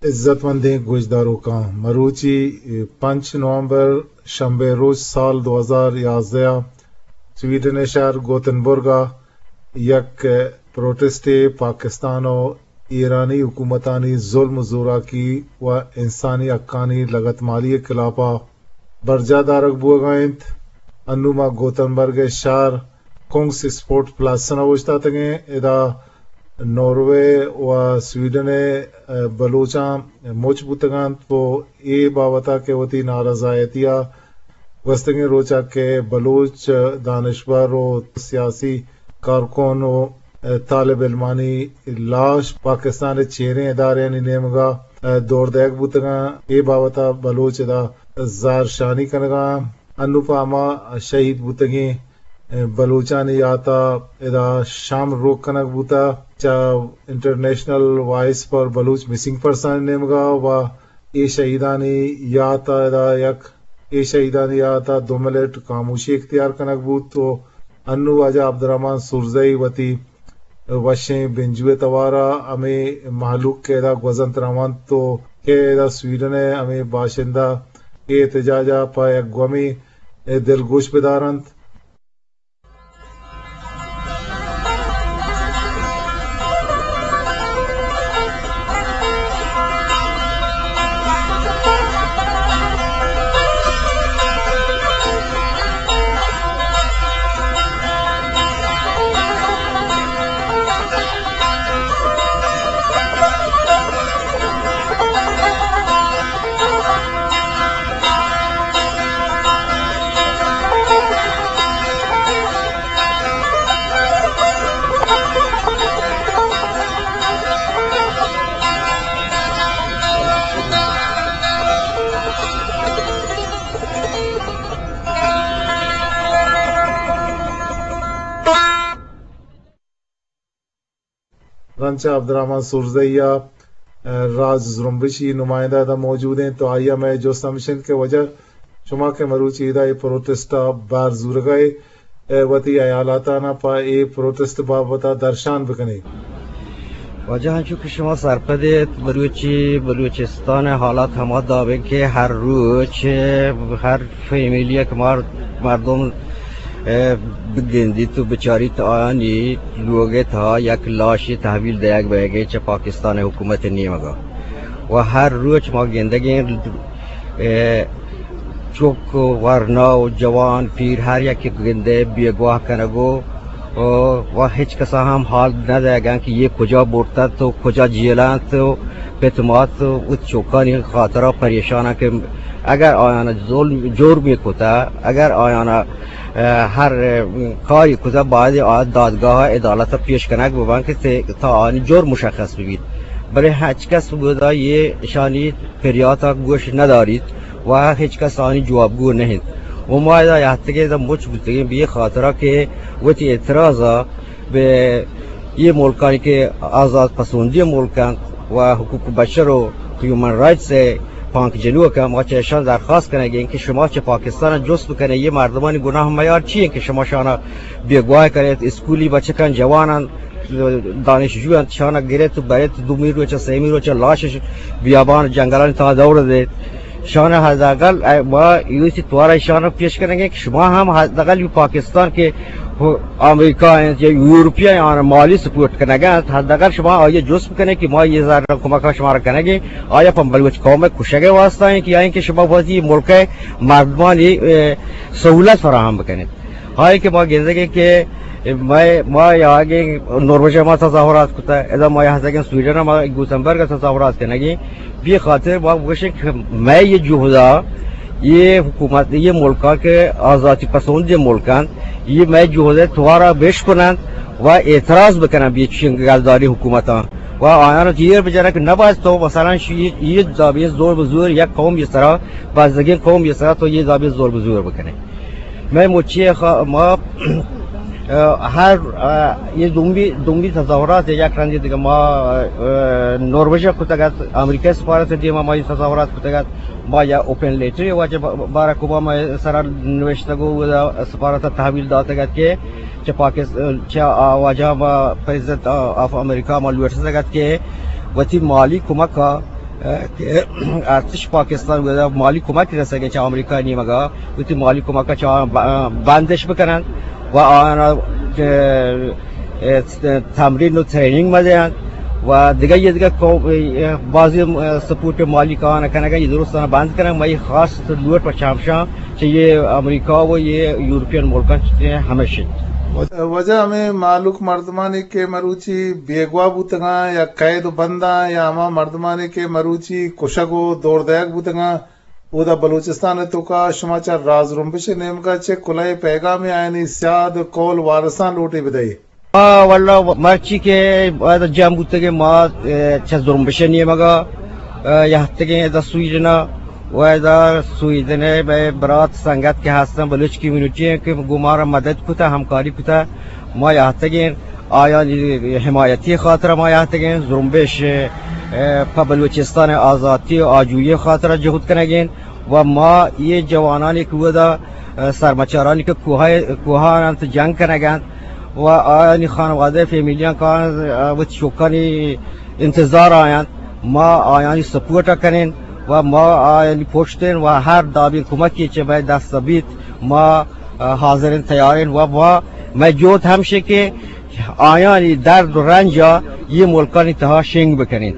عزتمندیں گوشداروکاں، مروچی پنچ نومبر شنبے روچ سال دو ہزار یازدہ ءَ سویڈن ءِ شہر گوتنبرگ ءَ یک پروٹسٹے پاکستان ءُ ایرانی حکومتانی ظلم ءُ زوراکی ءُ انسانی حقانی لگتمالی ءِ خلاف ءَ برجاہ دارگ بوگ ءَ انت۔ انوں ما گوتنبرگ ءِ شہر کنگس اسپورٹ پلاسن ءَ اوشتاتگیں۔ ادا ناروے ءُ سویڈن ءِ، ءَ، بلوچاں مچ بوتگ انت ءُ اے بابت ءَ کہ وتی نارضایتی ءَ گوستگیں روچ ءَ کہ بلوچ دانشور ءُ سیاسی کارکن ءُ، ءَ، طالب علمانی لاش پاکستان ءِ چیریں ادارہانی نیمگ ءَ، ءَ، دور دئیگ بوتگ انت، اے بابت ءَ بلوچ ادا زہرشانی کنگ ءَ انت۔ انوں پہ ہما شہید بوتگیں بلوچانی یات ءَ ادا شام روک کنگ بوتگ۔ چہ انٹرنیشنل وائس فار بلوچ مسنگ پرسن نیمگ ءَ ءُ اے شہیدانی یات ءَ ادا یک، اے شہیدانی یات ءَ دو منٹ خاموشی اختیار کنگ بوت ءُ انوں واجہ عبدالرحمن سورزئی وتی وشیں بنجو ءِ توار ءَ ہمے مہلوک کہ ادا گوزنت رونت ءُ کہ ادا سویڈن ءِ ہمے باشندہ اے احتجاج ءَ پہ یک گومے دلگوش بدار انت۔ رند چہ عبدالرحمن سورزئی ءَ، ءَ، راج زرمبشی نمائندہ ادا موجود انت، تو آئی ءَ مئے جست ہمیش انت کہ واجہ شما کہ مروچی ادا اے پروٹسٹ ءَ بہر زورگ ءَ ئے، ءَ، وتی ہیالاتاں پہ اے پروٹسٹ بابت ءَ درشان بکنے۔ واجہ، انچو کہ شما سرپد ایت، مروچی بلوچستان ءِ حالات ہما داب انت کہ ہر روچ، ءَ، ہر فیملی ءَ کہ مار-، مردم، ءَ، بگندیت ءُ بچاریت، آیانی لوگ ءِ تہا یک لاشے تحویل دئیگ بئیگ ءَ چہ پاکستان ءِ حکومت ءِ نیمگ ءَ۔ ءُ ہر روچ ما گندگ ایں، ءَ، چک ءُ ورنا ءُ جوان پیر ہر یکے گندئے بیگواہ کنگ ءُ، ءُ، ءُ ہچ کسا ہم حال نہ دئیگ ءَ انت کہ اے کجا برتنت ءُ کجا جیل ءَ انت ءُ پت مات وتی چکانی خاطرا پریشان انت کہ اگر آیانا ظلم، جرمے کتہ، اگر آیانا، ءَ، ہر، ءَ، کارے کتہ، باید آ دادگاہ ءَ عدالت ءَ پیش کنگ ببنت کہ تے-، تا آیانی جرم مشخص ببیت۔ بلے ہچ کس بودا اے اشانی پریاتا گوش نداریت ءُ ہچ کس آیانی جوابگو نہ انت۔ ءُ ما ادا یاتگیں، ادا مچ بوتگیں، بے خاطرا کہ وتی اعتراضا بہ اے ملکانی کہ آزات پسندی ملک انت ءُ حقوق بشر ءُ ہیومن رائٹس ءِ پانک جنوک انت، ما چہ اشاں درخواست کنگ ایں کہ شما چہ پاکستان ءَ جست بکنے، اے مردمانی گناہ میار چی انت کہ شما اشانا بیگواہ کنیت؟ اسکولی بچکاں، جواناں، دانشجو انت، اشانا گریت ءُ بریت، دومی روچ ءَ، سیمی روچ ءَ لاشش بیابان ءُ جنگلانی تہا دور دیت۔ اشانا حداقل، ءَ، ما ایسی توارا اشانا پیش کنگ ایں کہ شما ہم حداقل پاکستان کہ امریکہ انت یا یورپی انت، آیانا مالی سپورٹ کنگ ءَ انت، حداقل شما آئی ءَ جست بکنے کہ ما اے زر کمک ءَ شمارا کنگ ایں، آیا پہ بلوچ قوم ءِ کشگ ءِ واسطہ انت کہ یا اینکہ شما وتی ملک ءِ مردمانی، ءَ، سہولت فراہم بکنیت؟ آئی کہ ما گندگ ایں کہ مئے، ما یاگیں نروژ ءَ ما تظاہرات کتہ، ادا ما یاتگیں سویڈن ءَ ما گوتنبرگ ءَ تظاہرات کنگ ایں۔ بے خاطر ما گوشیں کہ مئے اے جہد ءَ، اے حکومت، اے ملکاں کہ آزاتی پسندیں ملک انت، اے مئے جہد ءِ توارا بشکننت ءُ اعتراض بکننت بہ چین گلداری حکومتاں ءُ آیاں ایر بجننت کہ نباید تو مثلاً شی-، اے دابیں زور بزور یک قوم ءِ سرا، بزگیں قوم ءِ سرا تو اے دابیں زور بزور بکنے۔ مئے مچی خا-، ما، ءَ، ہر، ءَ، اے دومی، دومی تظاہرات یک رندے دگہ ما، ءَ، نروژ ءَ کتگ ات، امریکہ سفارت ءِ دیما ما اے تظاہرات کتگ ات، ما یا اوپن لیٹر واجہ ب-، باراک اوباما ءِ سرا نوشتگ ءُ سفارت ءَ تحویل داتگ ات کہ چہ پاکستان، چہ آ واجہ ما پریزیڈنٹ آف امریکہ ما لوٹتگ ات کہ وتی مالی کمک ءَ کہ ارتش پاکستان گودا مالی کمک رسگ چہ امریکہ نیمگا، وتی مالی کمک چہ آ ب-، بندش بکنن و آنا، اه، تمرین و ٹریننگ مدین و دیگه یه دیگه کو-، اه، بعضی، اه، سپورٹ مالی کان کنگا، یہ درست بند کنن. مئی خاص لوٹ و چمشان چہ یہ امریکہ و یہ یورپین ملکان چہ ہمیش انت. واجہ، ہمے مہلوک مردمانی کہ مروچی بیگواہ بوتگاں یا قید و بنداں یا ہما مردمانی کہ مروچی کشگ و دور دئیگ بوتگاں، اودا بلوچستان ء توکا شما چہ راز زرمبش ء نیمگا چہ کلہے پیغامے آیانی سیاد قول وارثاں لوٹے بدئے؟ آ، واللہ مرچی کہ ادا جم بوتگیں ما، اے، چہ زرمبش ء نیمگا، اے، یہتگیں ادا سویڈن ء و ادا سویڈن ء مئے برات سنگت کہ ہستن بلوچ کمیونٹی ء کہ گوں مارا مدد کتا، ہمکاری کتا، ما یہتگیں آیانی حمایتی خاطر ما یہتگیں زرمبش، اے، پہ بلوچستان آزاتی و آجوئی خاطر جہد کنگیں. و ما یہ جوانانی کہ اودا، اه، سرمچارانی کہ کوہ، کوہان انت جنگ کنگ انت و آیانی خانوادہ فیملیان کان، اه، وتی چوکانی انتظار آیانت، ما آیانی سپورٹ کنین و ما آیانی پشتین و ہر دابین کمکی چہ مئے دست بیت ما، اه، حاضرین تیارین و ما مئے جہد ہمشی کہ آیانی درد و رنجا یہ ملکانی تہا شنگ بکنین.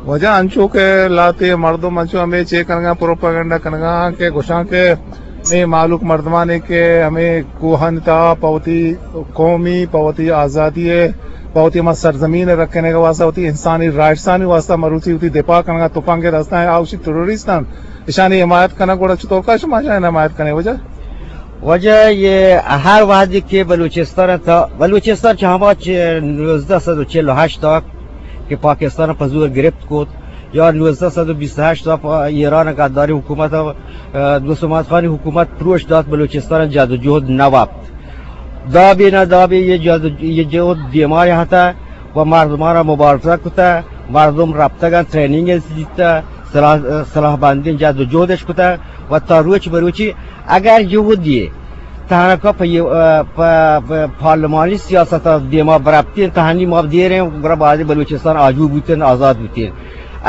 واجہ، انچو کہ لہتے مردم انچو ہمے چے کنگا، پروپیگنڈا کنگا کہ گوشاں کہ ہمے مہلوک مردمانے کہ ہمے کوہانی تہا پہ وتی قومی، پہ وتی آزادی ء، پہ وتی ہما سرزمین ء رکھنے کے واسطہ، وتی انسانی رائٹسانی واسطہ مروچی وتی دفاع کنگا، تپنگ ء دستاں آوشی ٹیررسٹ انت، اشانی حمایت کنگ، گڑا چطور کا شما اشانی حمایت کنے واجہ؟ واجہ، یہ ہر وہدی کہ بلوچستان تا، بلوچستان چہ ہما چہ نوزدہ سد و چل و ہشت تا کہ پاکستان پہ زور گرفت کت، یا نوزدہ سد و بیست و ہشت تا پہ ایران غداری حکومت، اه، دوست محمد خانی حکومت پروش دات، بلوچستان جد و جہد نہ وپت. دابے نہ دابے یہ جد، یہ جہد دیما ہتا و مردمان را مبارزہ کتا، مردم رپتگاں، ٹریننگ دیتا، سلاح، سلاح بندی جد و جہدش کتا و تا روچ بروچی اگر جہدی تہنکا پہ، پہ، پہ پارلمانی سیاست دیما برپتین، تہنی ما دیریں، گڑا بعد بلوچستان آجو بوتین، آزاد بوتین.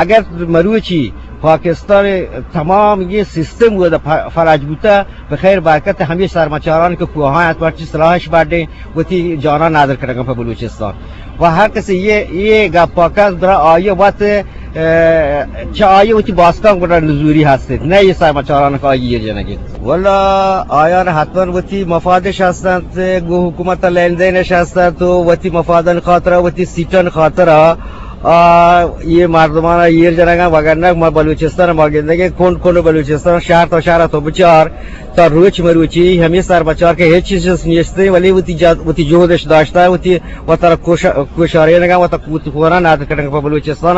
اگر مروچی پاکستان تمام یہ سیستم و ف-، فلج بوتا، بخیر برکت ہمیں سرمچاران کہ کوہاں ات، مرچی سلاحش بڈیں، وتی جانا ندر کنگا پہ بلوچستان. و ہر کسی یہ، یہ گپ پاکست برا آئی وت، اه، چہ آئی وتی باستان گڑا نزوری ہستید، نہ یہ سرمچاران کہ آئی یہ جنگی. واللہ آیان حتماً وتی مفادش ہستنت، گو حکومت لین دینش ہستنت و وتی مفادن خاطرہ، وتی سیٹن خاطرہ، آ، یہ مردمان ایر جنگا وگرنہ ما بلوچستان ما گندگیں کنڈ کنڈ بلوچستان شہر تا شہر تو بچار تا روچ مروچی ہمیں سرمچار کہ ہیچ چیز نیستے، ولی وتی جا-، وتی جہدش داشتہ، وتی وتر کوش-، کوشارینگا، وتا کوت کونا نادر کنگا پہ بلوچستان.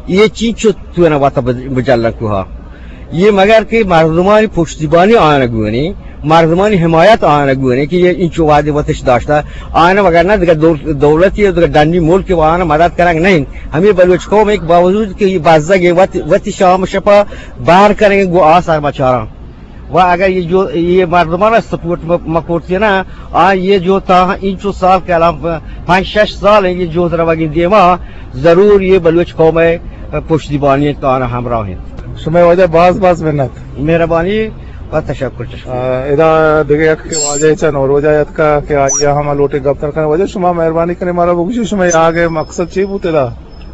یہ چیز چو تو نہ وتا بج-، بجلن کوہا. یہ مگر کہ مردمانی پشتیبانی آیان گونی، مردمانی حمایت آیان گونی کہ یہ انچو وعدے وتش داشتہ. آیان وگرنہ دیگہ دول-، دولتی و دیگہ ڈنی ملک و آیان مدد کنگ نہیں. ہمیں بلوچ قوم ایک باوجود کہ یہ بزگ وت-، وتی شام شپا بہر کنگ گو آ سرمچاراں. و اگر یہ جو، یہ مردمان سپورٹ م-، مکورتی نا، آ یہ جو تا انچو سال کہ الان پ-، پنچ شش سال ہیں یہ جہد روگی دیما، ضرور یہ بلوچ قوم ہے، پشتیبانی تانا ہمراہ ہیں. شمئے واجہ باز باز منت. مہربانی و تشکر، تشکر. آ، ادا دگہ یک کہ واجہ چہ نوروجا یتکا کہ آیا ہم لوٹے گپ تر کنے. واجہ شما مہربانی کنے مارا بگوشی شما آگے مقصد چی بوتے دا؟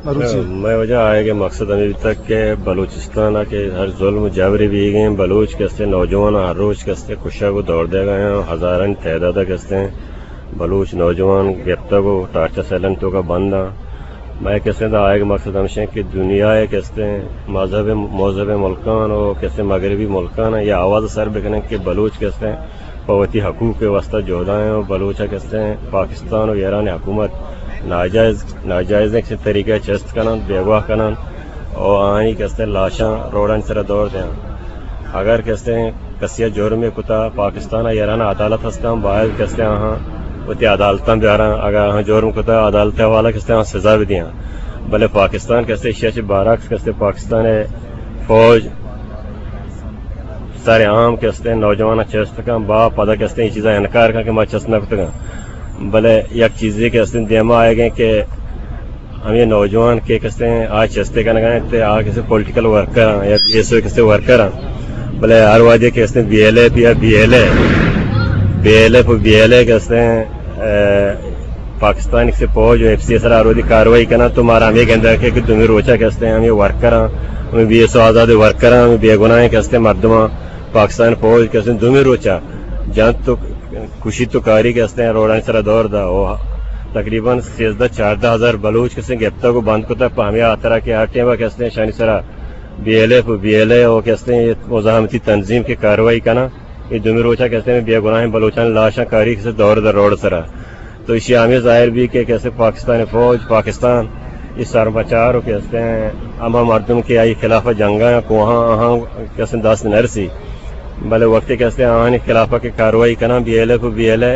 مروچی. مئے واجہ آیگ ء مقصد ہمے بیتگ کہ بلوچستان ء کہ ہر ظلم و جبرے بیگ ء، بلوچ کہ استیں نوجوان ہر روچ کہ استیں کشگ و دور دیگ ء آں، ہزارانی تعداد ء کہ استیں بلوچ نوجوان گپتگ و ٹارچر سیلانی توکا بند آں. مئے کہ استیں دا آیگ ء مقصد ہمشیں کہ دنیا ء کہ استیں مذہب، مذہب ملکان و کہ استیں مغربی ملکان ء یہ آواز سر بکنیں کہ بلوچ کہ استیں پہ وتی حقوق ء واستہ جہدائیں و بلوچ ء کہ استیں پاکستان و ایران حکومت ناجائز، ناجائزیں کسے طریقہ ء چست کننت، بیگواہ کننت و آہانی کہ استیں لاشاں روڈانی سرا دور دیاں. اگر کہ استیں کسی ء جرمے کتا، پاکستان ء ایران ء عدالت ہستاں، باید کہ استیں آہاں وتی عدالتاں بیاراں. اگر آہاں جرم کتا، عدالت ء حوالہ کہ استیں آہاں سزا بدیاں. بلے پاکستان کہ استیں ایشی ء چہ برعکس کہ استیں پاکستان ء فوج سر عام کہ استیں نوجواناں چست کن، با پدا کہ استیں اے چیزاں انکار کن کہ ما چست نہ کتگاں. بلے یک چیزے کہ استیں دیما آیگیں کہ ہمے نوجوان کہ کستیں آ چستے کنگا انت، آ کستیں پولیٹیکل ورکر آں یا بی ایس او کستیں ورکر آں، بلے ہر وہدے کہ کستیں بی ایل ایف یا بی ایل اے، بی ایل ایف و بی ایل اے کستیں، اے، پاکستان کستیں فوج و ایف سی سرا ہر وہدے کاروائی کناں تو مارا ہمے گندگ کہ، کہ دومی روچا کستیں ہمے ورکر آں، ہمے بی ایس او آزاد ورکر آں، ہمے بے گناہیں کستیں مردماں پاکستان فوج کستیں دومی روچا جنت تو کشی تو کاری کہ استیں روڈانی سرا دور دا و تقریباً سیزدہ چاردہ ہزار بلوچ کہ استیں گپتگ و بند کتگ پہ ہمے ہاترا کہ ہر ٹیما کہ استیں شانی سرا بی ایل ایف و بی ایل اے و کہ استیں مزاحمتی تنظیم کہ کاروائی کناں، اے دومی روچا کہ استیں بے گناہیں بلوچانی لاشاں کاری کہ استیں دور دا روڈ سرا۔ تو ایشی ہمے ظاہر بی کہ کسے پاکستان فوج، پاکستان، اے سرمچار و کہ استیں ہما مردم کہ آئی خلاف جنگا یا کوہاں آہاں کسے دست نرسی۔ بلے وقتی کہ استیں آہانی خلاف کہ کاروائی کناں بی ایل ایف و بی ایل اے،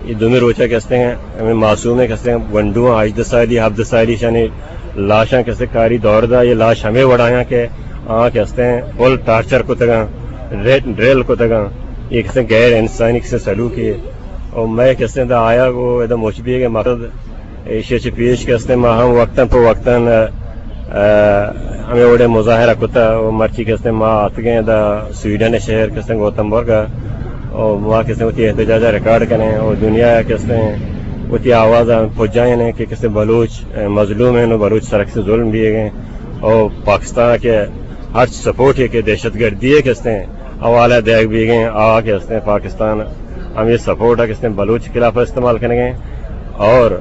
اے دومی روچا کہ استیں ہمے معصومیں کہ استیں گونڈواں ہژدہ سالی، ہبدہ سالی شانی لاشاں کہ استیں کاری دور دا، اے لاش ہمے وڑایاں کہ آہاں کہ استیں فل ٹارچر کتگاں، ڈرے-، ڈرل کتگاں، اے کہ استیں غیر انسانی کہ استیں سلوکے۔ و مئے کہ استیں دا آیگ و ادا مچ بیگ ءِ مقصد ایشی چہ پیش کہ استیں ما ہم وقتاً پہ وقتاً، ا، ا، ہمے وڑیں مظاہرہ کتا و مرچی کہ استیں ما آتگیں دا سویڈن شہر کہ استیں گوتمبرگ ءَ و ما کہ استیں وتی احتجاج ءَ ریکارڈ کنیں و دنیا ءَ کہ استیں وتی آواز ءَ پجائینیں کہ کہ استیں بلوچ، ا، مظلوم ہیں و بلوچ سرا کہ استیں ظلم بیگ ءَ ہیں و پاکستان کہ ہرچ سپورٹ ہے کہ دہشت گردی ءِ کہ استیں حوالہ دیگ بیگ ءَ ہیں، آ کہ استیں پاکستان ہمے سپورٹ ءَ کہ استیں بلوچ خلاف استعمال کنگ ءَ ہیں اور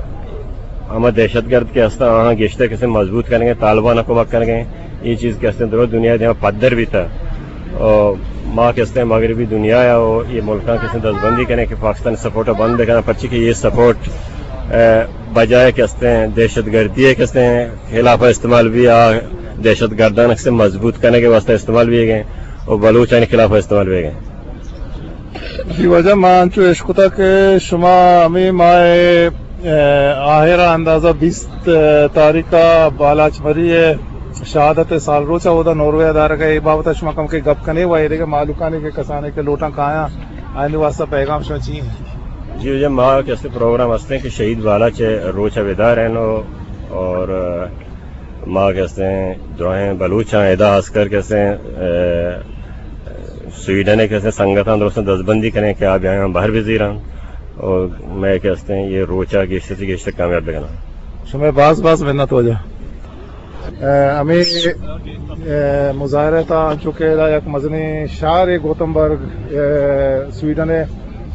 ہما دہشت گرد کہ استاں آہاں گیشتر کہ استیں مضبوط کنگ ءَ ہیں، طالبان ءَ کمک کنگ ءَ ہیں۔ اے چیز کہ استیں درو دنیا ءِ دیما پدر بیتا۔ او ما کہ استیں مغربی دنیا ءَ و اے ملکاں کہ استیں دزبندی کنیں کہ پاکستان سپورٹ ءَ بند بکناں، پرچی کہ اے سپورٹ، ا، بجائے کہ استیں دہشت گردی ءِ کہ استیں خلاف استعمال بی، آ دہشت گردان کہ استیں مضبوط کنگ ءِ واسطہ استعمال بیگ ءَ ہیں و بلوچانی خلاف استعمال بیگ ءَ ہیں۔ جی واجہ، ما انچو اشکتا کہ شما ہمے ماہ ءِ، ا، آہر ءَ اندازہ بیست تاریخ ءَ بالاچ مری ءِ شہادت ءِ سال روچ ءَ اودا ناروے ءَ دارگ ءَ، اے بابت ءَ شما کمکے گپ کنے و اے دگہ مہلوکانی کہ کسانے کہ لوٹاں کایاں، آیانی واسطہ پیغام شما چی انت؟ جی واجہ، ما کہ استیں پروگرام استیں کہ شہید بالاچ ءِ روچ ءَ بدار ہیں و، اور ما کہ استیں دراہیں بلوچاں ادا خاص کر کہ استیں، ا، سویڈن ءِ کہ استیں سنگتاں درستاں دزبندی کنیں کہ آ بیایاں بہر بزیراں و مئے کہ استیں اے روچ ءَ گیشتر چہ گیشتر کامیاب بکناں۔ شمئے باز باز منت واجہ۔ ا، ہمے، ا، مظاہرہ ءِ تہا انچو کہ ادا یک مزنیں شہرے گوتمبرگ، ا، سویڈن ءِ،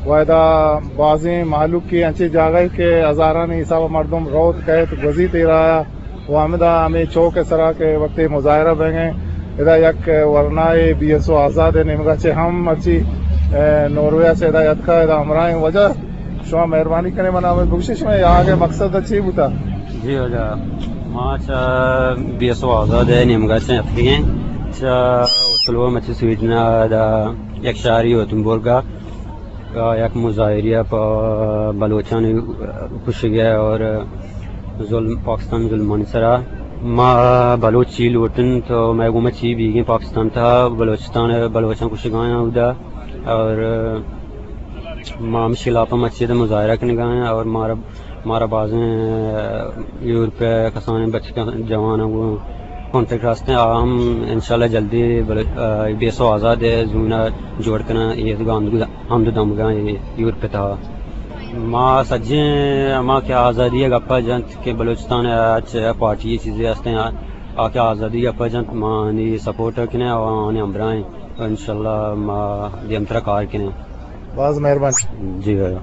و ادا بازیں مہلوکے انچیں جاگہے کہ ہزارانی حساب ءَ مردم روت کئیت گوزیت اے راہ ءَ۔ و ہمدا ہمے چوک ءِ سرا کہ وقتی مظاہرہ بیگ ءَ ادا یک ورنائے بی ایس او آزاد ءِ نیمگا چہ ہم مرچی، ا، ناروے ءَ چہ ادا اتکا ادا ہمراہیں۔ واجہ شما مہربانی کنے منا ہمے بگوشے شما آگ ءِ مقصد چی بوتا؟ جی واجہ، ما چہ بی ایس او آزاد ءِ نیمگا چہ اتکگیں، چہ اوسلو مرچی سویڈن ءَ ادا یک شہری گوتمبرگ ءَ یک مظاہرے ءَ پہ بلوچانی کشگ ءَ اور ظلم، پاکستان ظلمانی سرا۔ ما بلوچ چی لوٹن تو مئے گوما چی بیگیں پاکستان تہا بلوچستان، بلوچاں کشگایاں اودا اور ما ہمشی خلاف ءَ مچید مظاہرہ کنگایاں اور مارا مارا بازیں، ا، یورپ ءِ کسانیں بچکاں جواناں گوں کانٹیکٹ ءَ ہستیں، آ ہم انشاءاللہ جلدی بل-، ا، بی ایس او آزاد ءِ زون ءَ جوڑ کناں، اے گاند-، ہند دمگاں اے یورپ ءِ تہا۔ ما سجیں ہما کہ آزادی ءِ گپ ءَ جنت کہ بلوچستان ءَ ہرچ پارٹی چیزے ہستیں، آ، آ کہ آزادی ءِ گپ ءَ جنت، ما آنی سپورٹ ءَ کنیں، آ آنی ہمراہ ایں۔ انشاءاللہ ما دیمترا کار کنیں۔ باز مہربانی۔ جی بھائی۔